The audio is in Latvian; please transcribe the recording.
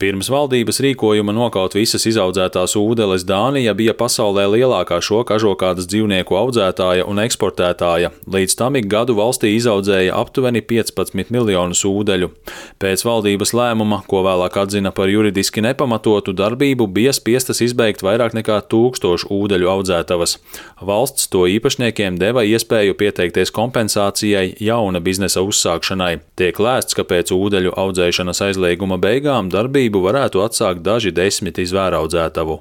Pirms valdības rīkojuma nokaut visas izaudzētās ūdeles Dānija bija pasaulē lielākā šo kažokādas dzīvnieku audzētāja un eksportētāja. Līdz tam ik gadu valstī izaudzēja aptuveni 15 miljonus ūdeļu. Pēc valdības lēmuma, ko vēlāk atzina par juridiski nepamatotu darbību, bija spiestas izbeigt vairāk nekā 1000 ūdeļu audzētavas. Valsts to īpašniekiem deva iespēju pieteikties kompensācijai jauna biznesa uzsākšanai. Tiek lēsts, ka pēc ūdeļu audzēšanas aizlieguma beigām darbību varētu atsākt daži 10 zvēraudzētavu.